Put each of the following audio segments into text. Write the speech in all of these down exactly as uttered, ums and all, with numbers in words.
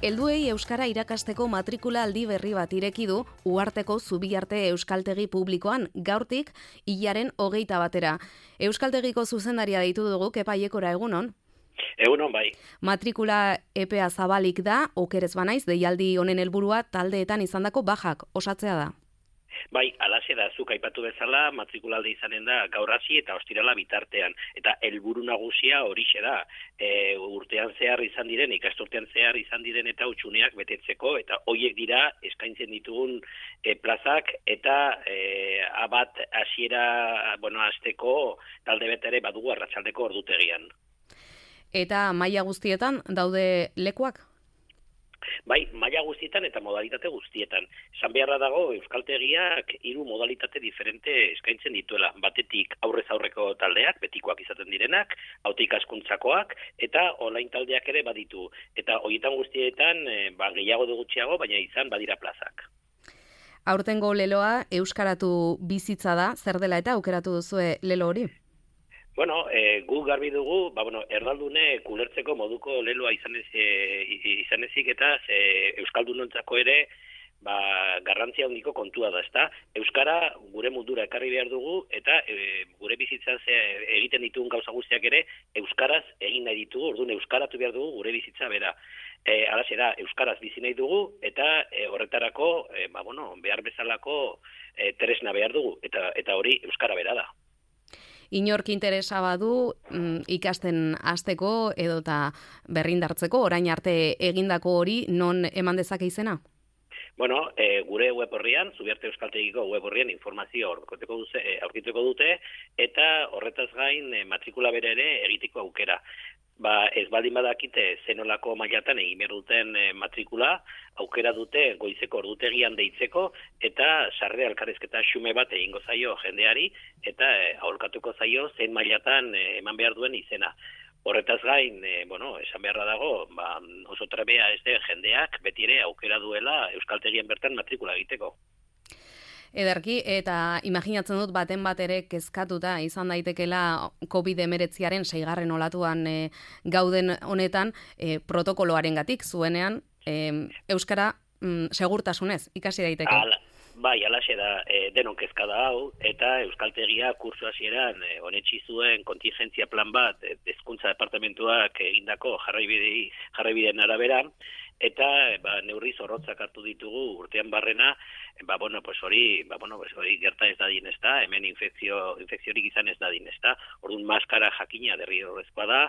Helduei euskara irakasteko matrikula aldi berri bat ireki du Uharteko Zubiarte Euskaltegi Publikoan gaurtik hilaren hogeita batera. Euskaltegiko zuzendaria deitu dugu, Kepa Aiekora, egunon? Egunon bai. Matrikula epea zabalik da, okerez banaiz, deialdi honen helburua taldeetan izandako bajak osatzea da. Bai, alaxe da, zuk aipatu bezala, matrikulalde izanen da gaur hasi eta ostirala bitartean. Eta helburu nagusia horixe da, e, urtean zehar izan diren, ikasturtean zehar izan diren eta utxuneak betetzeko, eta hoiek dira eskaintzen ditugun e, plazak, eta e, abat hasiera, bueno, hasteko talde bet ere badugu arratsaldeko ordutegian. Eta maila guztietan daude lekuak? Bai, maila guztietan eta modalitate guztietan. Esan beharra dago, Euskaltegiak hiru modalitate diferente eskaintzen dituela. Batetik aurrez aurreko taldeak, betikoak izaten direnak, haute ikaskuntzakoak, eta online taldeak ere baditu. Eta horietan guztietan, ba, gehiago du gutxiago, baina izan badira plazak. Aurtengo leloa euskaratu bizitza da, zer dela eta aukeratu duzue lelo hori? Bueno, e, gu garbi dugu, ba, bueno, erdaldune kulertzeko moduko leloa izanez, e, izanezik eta e, euskaldunontzako ere ba, garrantzia handiko kontua da, ezta? Euskara gure mundura ekarri behar dugu eta e, gure bizitzan ze, egiten ditugun gauza guztiak ere euskaraz egin nahi ditugu, orduan euskaratu behar dugu gure bizitza bera. E, Halaxe da, euskaraz bizi nahi dugu eta e, horretarako e, ba, bueno, behar bezalako e, tresna behar dugu eta, eta hori euskara bera da. Inork interesa badu mm, ikasten hasteko edota berrindartzeko, orain arte egindako hori non eman dezake izena? Bueno, e, gure web horrian, Zubiarte Euskaltegiko web horrian informazio aurkituko dute, aurkituko dute eta horretaz gain e, matrikula bere ere egiteko aukera. Ba, ez baldin badakite zenolako mailatan egin behar duten e, matrikula, aukera dute goizeko ordutegian deitzeko eta sarrera elkarrizketa xume bat egingo zaio jendeari eta e, aholkatuko zaio zein mailatan e, eman behar duen izena. Horretaz gain, e, bueno, esan beharra dago, ba, oso trebea ez den jendeak beti ere aukera duela euskaltegien bertan matrikula egiteko. Ederki, eta imaginatzen dut baten bat ere kezkatuta izan daitekela covid hemeretziaren seigarren olatuan e, gauden honetan e, protokoloarengatik zuenean e, euskara mm, segurtasunez ikasi daiteke. Ala, bai, alaxe da, e, denon kezka da hau, eta euskaltegia kursu hasieran e, onetsi zuen kontingentzia plan bat e, hezkuntza departamentuak egindako jarraibide, jarraibideen arabera, eta ba, neurri zorrotzak hartu ditugu urtean barrena, ba, bueno, pues hori, ba, bueno, pues hori gerta ez dadin ezta, hemen infekzio, infekziorik izan ez dadin ezta, orduan maskara jakina derrigorrezkoa da,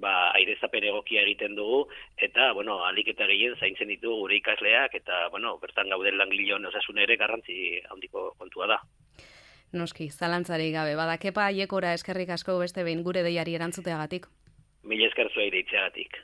ba, airezapen egokia egiten dugu, eta, bueno, alik eta gehien zaintzen ditugu gure ikasleak, eta, bueno, bertan gauden langileon osasun ere garrantzi handiko kontua da. Noski, zalantzari gabe, bada Kepa Aiekora eskerrik asko beste behin gure deiari erantzuteagatik. Mila esker zuei deitzeagatik.